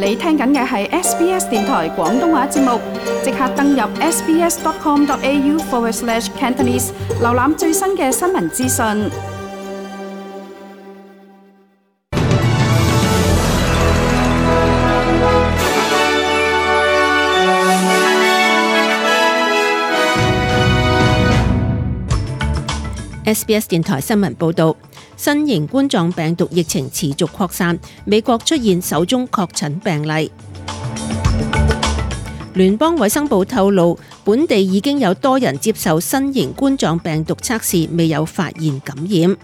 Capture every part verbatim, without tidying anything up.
你聽緊嘅係 S B S 電台廣東話節目，即刻登入 sbs.com.au forward slash Cantonese， 瀏覽最新嘅新聞資訊。S B S 電台新聞報道，新型冠狀病毒疫情持續擴散，美國出現首宗確診病例。聯邦衛生部透露，本地已經有多人接受新型冠狀病毒測試，未有發現感染。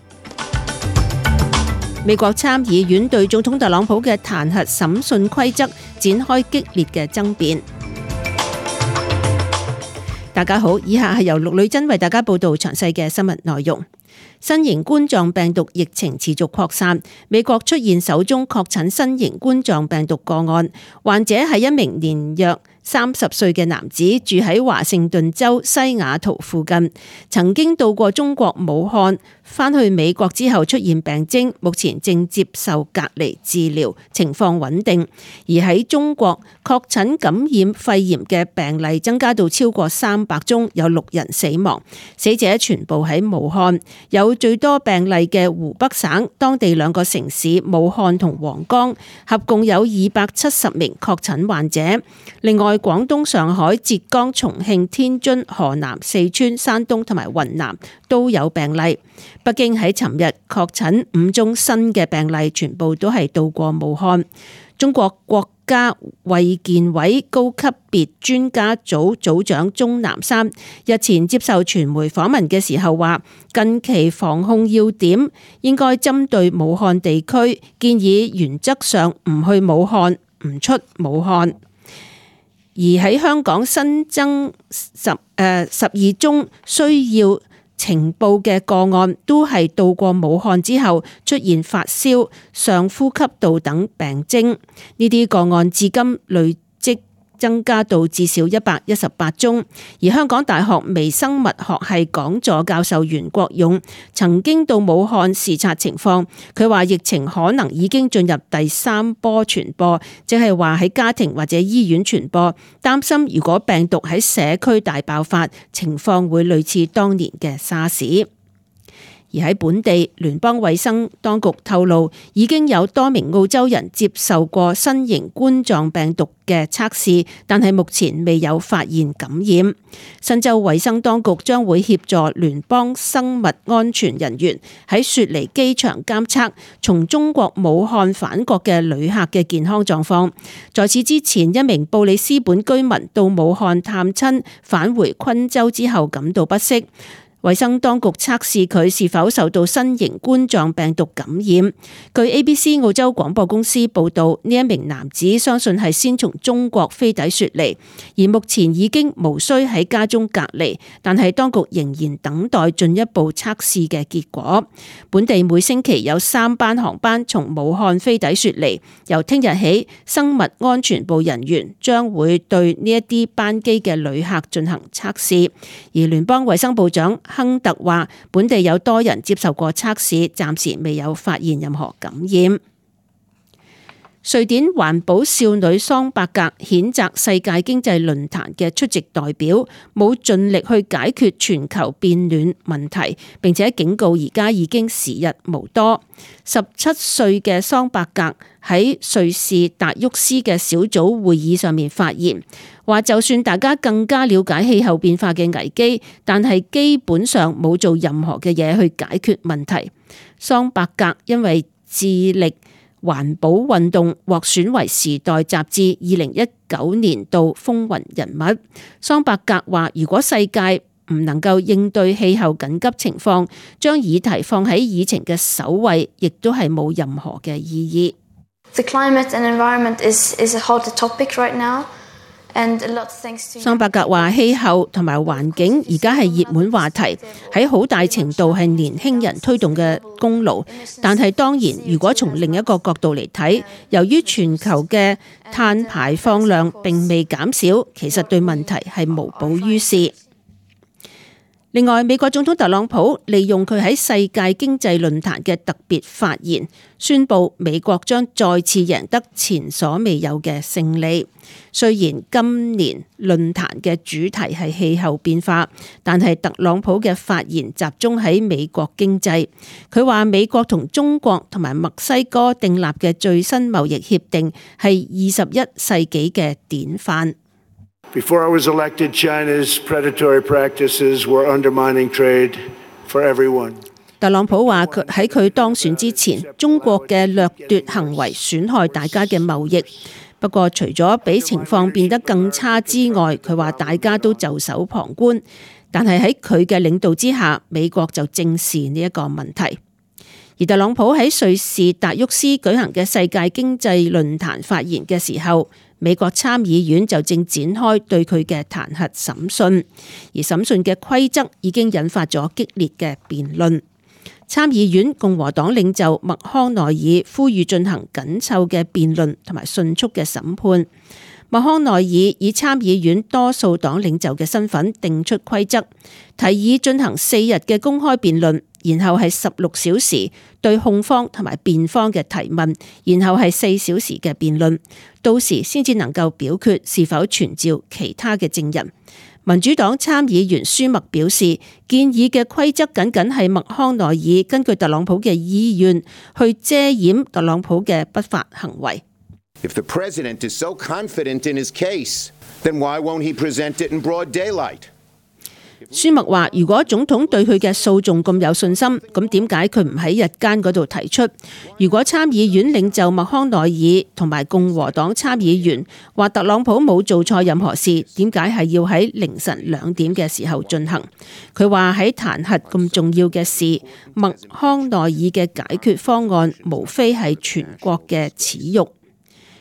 美國參議院對總統特朗普嘅彈劾審訊規則展開激烈嘅爭辯。大家好，以下係由陸女珍為大家報道詳細嘅新聞內容。新型冠狀病毒疫情持續擴散，美國出現首宗確診新型冠狀病毒個案，患者係一名年約三十歲嘅男子，住喺華盛頓州西雅圖附近，曾經到過中國武漢，返去美國之後出現病徵，目前正接受隔離治療，情況穩定。而喺中國確診感染肺炎嘅病例增加到超過三百宗，有六人死亡，死者全部喺武漢。有最多病例嘅湖北省，當地兩個城市武漢同黃岡合共有二百七十名確診患者。另外，廣東、上海、浙江、重慶、天津、河南、四川、山東同埋雲南都有病例。北京喺尋日確診五宗新嘅病例，全部都係到過武漢。中國國家衛健委高級別專家組組長鍾南山日前接受傳媒訪問嘅時候話，近期防控要點應該針對武漢地區，建議原則上唔去武漢，唔出武漢。而喺香港新增十誒十二宗需要呈報嘅個案，都係到過武漢之後出現發燒、上呼吸道等病徵。呢啲個案至今累積增加到至少一百一十八宗。而香港大學微生物學系講座教授袁國勇曾經到武漢視察情況，佢話疫情可能已經進入第三波傳播，即係話喺家庭或者醫院傳播，擔心如果病毒喺社區大爆發，情況會類似當年嘅沙士。而喺本地，聯邦衛生當局透露，已經有多名澳洲人接受過新型冠狀病毒嘅測試，但係目前未有發現感染。新州衛生當局將會協助聯邦生物安全人員喺雪梨機場監測從中國武漢返國嘅旅客嘅健康狀況。在此之前，一名布里斯本居民到武漢探親，返回昆州之後感到不適。衛生當局測試佢是否受到新型冠狀病毒感染。據 A B C 澳洲廣播公司報道，呢一名男子相信係先從中國飛抵雪梨，而目前已經無需喺家中隔離，但係當局仍然等待進一步測試嘅結果。本地每星期有三班航班從武漢飛抵雪梨，由聽日起，生物安全部人員將會對呢一啲班機嘅旅客進行測試。而聯邦衛生部長亨特話，本地有多人接受過測試，暫時未有發現任何感染。瑞典環保少女桑伯格譴責世界經濟論壇嘅出席代表冇盡力去解決全球變暖問題，並且警告而家已經時日無多。十七歲嘅桑伯格喺瑞士達沃斯嘅小組會議上面發言，話就算大家更加了解氣候變化嘅危機，但係基本上冇做任何嘅嘢去解決問題。桑伯格因為致力環保運動獲選為《時代》雜誌二零一九年度風雲人物。桑伯格話，如果世界唔能夠應對氣候緊急情況，將議題放喺議程嘅首位，亦都係冇任何嘅意義。The climate and environment is is a hot topic right now. 桑伯格話，氣候同埋環境而家係熱門話題，喺好大程度係年輕人推動嘅功勞。但係當然，如果從另一個角度嚟睇，由於全球嘅碳排放量並未減少，其實對問題係無補於事。另外，美國總統特朗普利用佢喺世界經濟論壇嘅特別發言，宣布美國將再次贏得前所未有嘅勝利。雖然今年論壇嘅主題係氣候變化，但係特朗普嘅發言集中喺美國經濟。佢話美國同中國同埋墨西哥訂立嘅最新貿易協定係二十一世紀嘅典範。Before I was elected, China's predatory practices were undermining trade for everyone. 特朗普話佢喺佢當選之前，中國嘅掠奪行為損害大家嘅貿易。不過除咗比情況變得更差之外，佢話大家都袖手旁觀。但係喺佢嘅領導之下，美國就正視呢一個問題。而特朗普喺瑞士達沃斯舉行嘅世界經濟論壇發言嘅時候，美國參議院就正展開對佢嘅彈劾審訊，而審訊嘅規則已經引發咗激烈嘅辯論。參議院共和黨領袖麥康奈爾呼籲進行緊湊嘅辯論同埋迅速嘅審判。麥康奈爾以參議院多數黨領袖嘅身份定出規則，提議進行四日嘅公開辯論，然後係十六小時對控方同埋辯方嘅提問，然後係四小時嘅辯論，到時先至能夠表決是否傳召其他嘅證人。民主黨參議員舒默表示，建議嘅規則僅僅係麥康奈爾根據特朗普嘅意願去遮掩特朗普嘅不法行為。If the president is so confident in his case, then why won't he present it in broad daylight? 舒默話：如果總統對佢嘅訴訟咁有信心，咁點解佢唔喺日間嗰度提出？如果參議院領袖麥康奈爾同埋共和黨參議員話特朗普冇做錯任何事，點解係要喺凌晨兩點嘅時候進行？佢話喺彈劾咁重要嘅事，麥康奈爾嘅解決方案無非係全國嘅恥辱。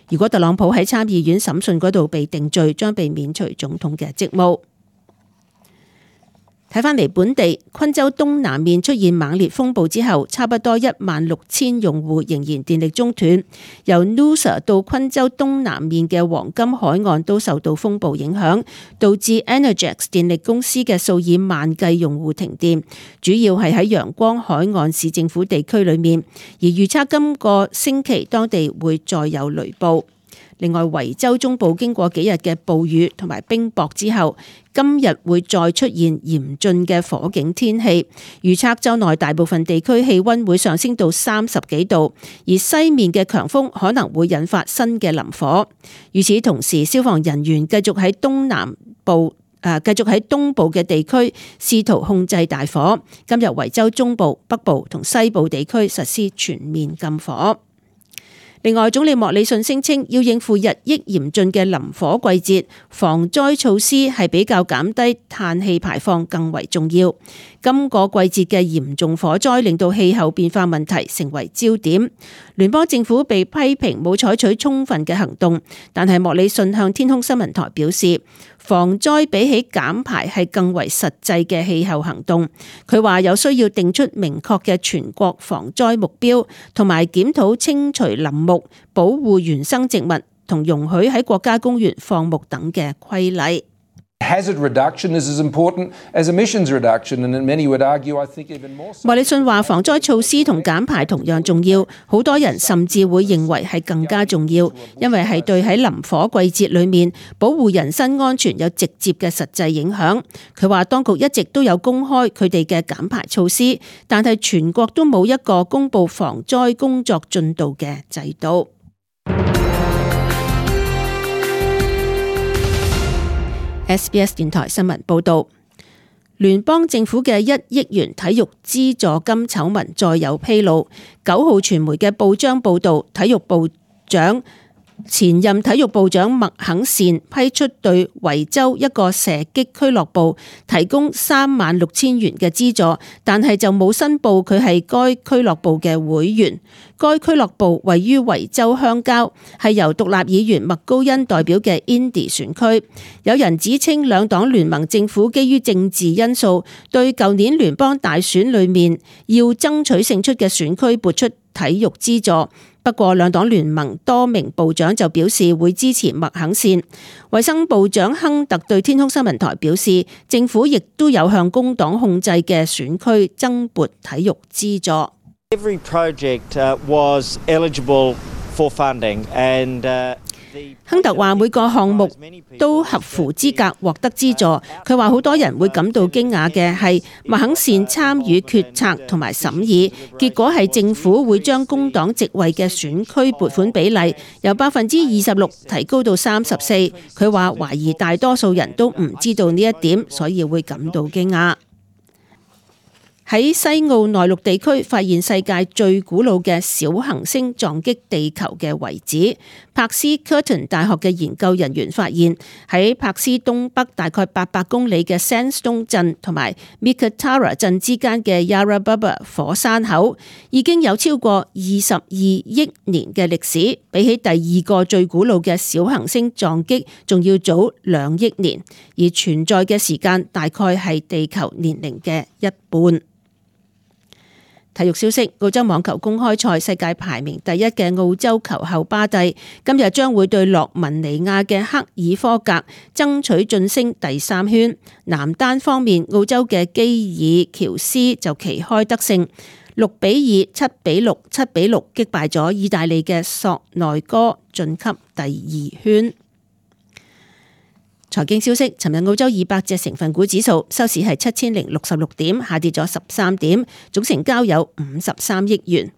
如果特朗普喺參議院審訊嗰度被定罪，將被免除總統嘅職務。睇返嚟本地，昆州東南面出現猛烈風暴之後，差不多一萬六千用戶仍然電力中斷。由 Noosa 到昆州東南面嘅黃金海岸都受到風暴影響，導致 Energex 電力公司嘅數以萬計用戶停電，主要係喺陽光海岸市政府地區裏面，而預測今個星期當地會再有雷暴。另外，維州中部經過幾日嘅暴雨同埋冰雹之後，今日會再出現嚴峻嘅火警天氣，預測州內大部分地區氣溫會上升到三十幾度，而西面嘅強風可能會引發新嘅林火。與此同時，消防人員繼續喺東南部誒繼續喺東部嘅地區試圖控制大火。今日維州中部、北部同西部地區實施全面禁火。另外，總理莫里遜聲稱要應付日益嚴峻嘅林火季節，防災措施係比較減低碳氣排放更為重要。今個季節嘅嚴重火災令到氣候變化問題成為焦點。聯邦政府被批評冇採取充分嘅行動，但係莫里遜向天空新聞台表示，防災比起減排係更為實際嘅氣候行動。佢話有需要定出明確嘅全國防災目標，同埋檢討清除林木、保護原生植物同容許喺國家公園放牧等嘅規例。Hazard reduction is as important as emissions reduction, and many would argue, I think, even more so. 莫里遜話防災措施同減排同樣重要，好多人甚至會認為係更加重要，因為係對喺林火季節裏面保護人身安全有直接嘅實際影響。佢話當局一直都有公開佢哋嘅減排措施，但係全國都冇一個公布防災工作進度嘅制度。S B S 電台新聞報道，聯邦政府嘅一億元體育資助金醜聞再有披露。九號傳媒嘅報章報道，體育部長前任體育部長麥肯善批出對維州一個射擊俱樂部提供三萬六千元嘅資助，但係就冇申報佢係該俱樂部嘅會員。該俱樂部位於維州鄉郊，係由獨立議員麥高恩代表嘅 Indy 選區。有人指稱兩黨聯盟政府基於政治因素，對舊年聯邦大選裏面要爭取勝出嘅選區撥出體育資助，不過兩黨聯盟多名部長就表示會支持麥肯線。衛生部長亨特對天空新聞台表示，政府亦都有向工黨控制嘅選區增撥體育資助。Every project was eligible for funding and亨特話每個項目都合乎資格獲得資助。佢話好多人會感到驚訝嘅係麥肯線參與決策同埋審議，結果係政府會將工黨席位嘅選區撥款比例由百分之二十六提高到三十四。佢話懷疑大多數人都唔知道呢一點，所以會感到驚訝。喺西澳內陸地區發現世界最古老嘅小行星撞擊地球嘅遺址。柏斯科頓大學嘅研究人員發現，喺柏斯東北大概八百公里嘅 Sandstone 鎮同埋 Mikatara 鎮之間嘅 Yara Baba 火山口已經有超過二十二億年嘅歷史，比起第二個最古老嘅小行星撞擊仲要早兩億年，而存在嘅時間大概係地球年齡嘅一半。體育消息：澳洲網球公開賽世界排名第一嘅澳洲球後巴蒂今日將會對洛文尼亞嘅克爾科格爭取晉升第三圈。男單方面，澳洲嘅基爾喬斯就旗開得勝，六比二、七比六、七比六擊敗咗意大利嘅索內哥，晉級第二圈。財經消息：尋日澳洲二百隻成分股指數收市係七千零六十六點，下跌咗十三點，總成交有五十三億元。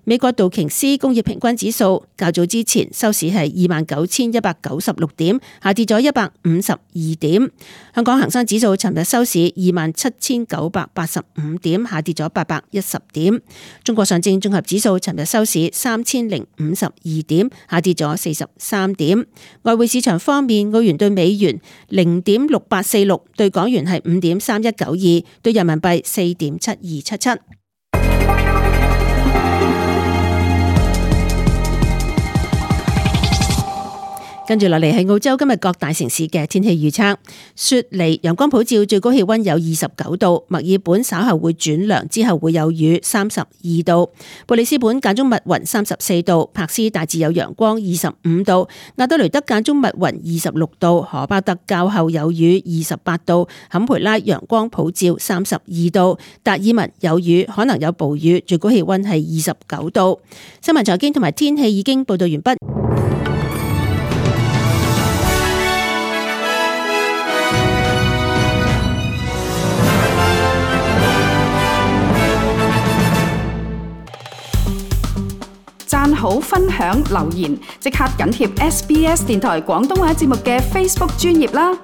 美國道瓊斯工業平均指數較早之前收市係二萬九千一百九十六點，下跌咗一百五十二點。香港恒生指數尋日收市二萬七千九百八十五點，下跌咗八百一十點。中國上證綜合指數尋日收市三千零五十二點，下跌咗四十三點。外匯市場方面，澳元對美元零點六八四六，對港元係五點三一九二，對人民幣四點七二七七。跟住落嚟係澳洲今日各大城市嘅天氣預測。雪梨陽光普照，最高氣溫有二十九度；墨爾本稍後會轉涼，之後會有雨，三十二度；布里斯本間中密雲，三十四度；柏斯大致有陽光，二十五度；亞德雷德間中密雲，二十六度；荷巴特較後有雨，二十八度；坎培拉陽光普照，三十二度；達爾文有雨，可能有暴雨，最高氣溫係二十九度。新聞財經同埋天氣已經報道完畢。讚好、分享、留言，即刻緊貼 S B S 電台廣東話節目嘅 Facebook 專頁啦！